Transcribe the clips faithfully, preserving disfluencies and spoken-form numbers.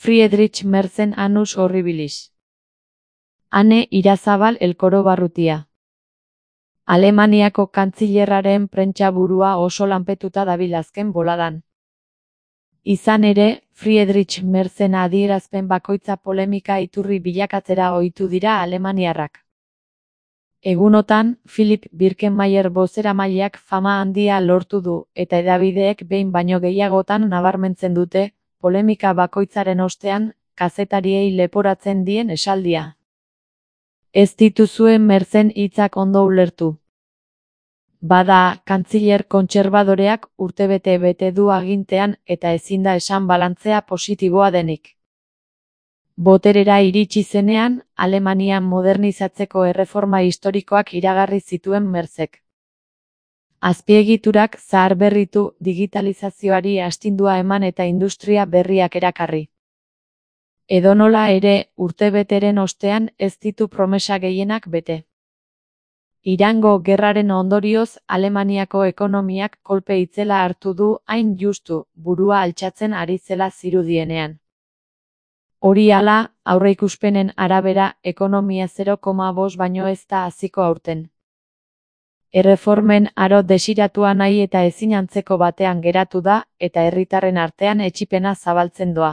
Friedrich Merzen annus horribilis. Ane Irazabal Elkoro Barrutia. Alemaniako kantzilerraren prentsaburua oso lanpetuta dabil azken boladan. Izan ere, Friedrich Merzen adierazpen bakoitza polemika iturri bilakatzera ohitu dira alemaniarrak. Egunotan, Philipp Birkenmeier bozeramaileak fama handia lortu du, eta hedabideek behin baino gehiagotan nabarmentzen dute, polemika bakoitzaren ostean, kazetariei leporatzen dien esaldia. Ez dituzue Merzen hitzak ondo ulertu. Bada, kantziler kontserbadoreak urtebete bete du agintean eta ezin da esan balantzea positiboa denik. Boterera iritsi zenean, Alemania modernizatzeko erreforma historikoak iragarri zituen Merzek. Azpiegiturak zaharberritu, digitalizazioari astindua eman eta industria berriak erakarri. Edonola ere, urtebeteren ostean ez ditu promesa gehienak bete. Irango gerraren ondorioz, Alemaniako ekonomiak kolpe itzela hartu du hain justu, burua altxatzen ari zela zirudienean. Hori hala, aurreikuspenen arabera, ekonomia zero koma bost baino ez da haziko aurten. Erreformen aro desiratua nahi eta ezin antzeko batean geratu da, eta herritarren artean etsipena zabaltzen doa.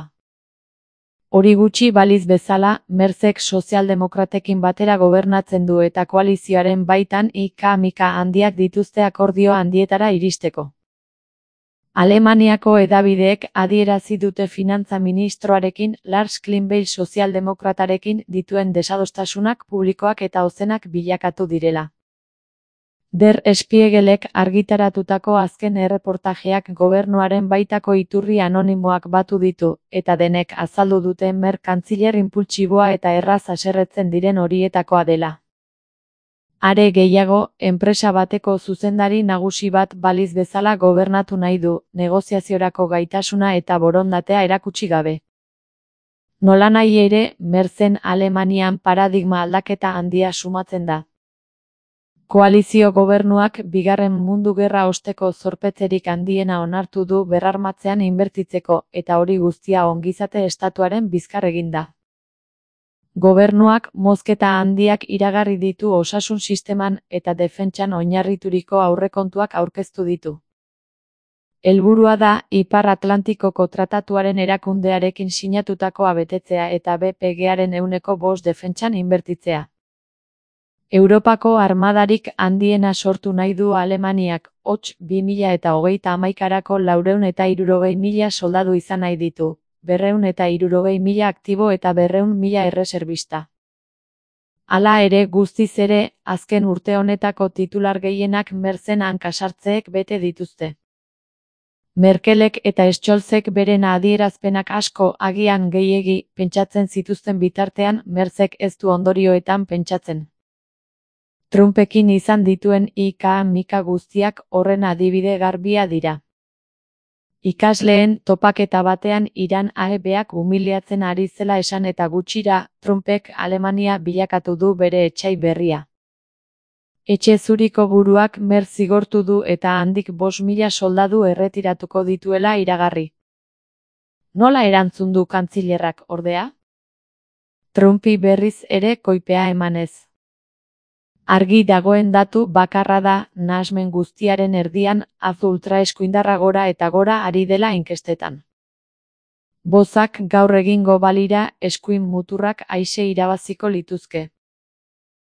Hori gutxi baliz bezala, Merzek sozialdemokratekin batera gobernatzen du eta koalizioaren baitan ika-mika handiak dituzte akordio handietara iristeko. Alemaniako hedabideek adierazi dute finantza ministroarekin Lars Klingbeil sozialdemokratarekin dituen desadostasunak publikoak eta ozenak bilakatu direla. Der Spiegelek argitaratutako azken erreportajeak gobernuaren baitako iturri anonimoak batu ditu, eta denek azaldu dute Mer kantziler inpultsiboa eta erraz haserretzen diren horietakoa dela. Are gehiago, enpresa bateko zuzendari nagusi bat baliz bezala gobernatu nahi du, negoziaziorako gaitasuna eta borondatea erakutsi gabe. Nolanahi ere, Merzen Alemanian paradigma aldaketa handia sumatzen da. Koalizio gobernuak bigarren mundu gerra osteko zorpetzerik handiena onartu du berrarmatzean inbertitzeko eta hori guztia ongizate estatuaren bizkar eginda. Gobernuak mozketa handiak iragarri ditu osasun sisteman eta defentsan oinarrituriko aurrekontuak aurkeztu ditu. Helburua da Ipar Atlantikoko tratatuaren erakundearekin sinatutakoa betetzea eta B P G-aren ehuneko bost defentsan inbertitzea. Europako armadarik handiena sortu nahi du Alemaniak, hots bi mila eta hogeita hamaikarako laurehun eta hirurogei mila soldadu izan nahi ditu, berrehun eta hirurogei mila aktibo eta berrehun mila erreserbista. Hala ere guztiz ere, azken urte honetako titular gehienak Merzen hankasartzeek bete dituzte. Merkelek eta Scholzek beren adierazpenak asko agian gehiegi pentsatzen zituzten bitartean Merzek ez du ondorioetan pentsatzen. Trumpekin izan dituen ika-mika guztiak horren adibide garbia dira. Ikasleen topaketa batean Iran A E Bak umiliatzen ari zela esan eta gutxira, Trumpek Alemania bilakatu du bere etsai berria. Etxe zuriko buruak Merz zigortu du eta handik bost mila soldadu erretiratuko dituela iragarri. Nola erantzun du kantzilerrak, ordea? Trumpi berriz ere koipea emanez. Argi dagoen datu bakarra da, nahasmen guztiaren erdian, azu ultraeskuindarra gora eta gora ari dela inkestetan. Bozak gaur egingo balira, eskuin muturrak aise irabaziko lituzke.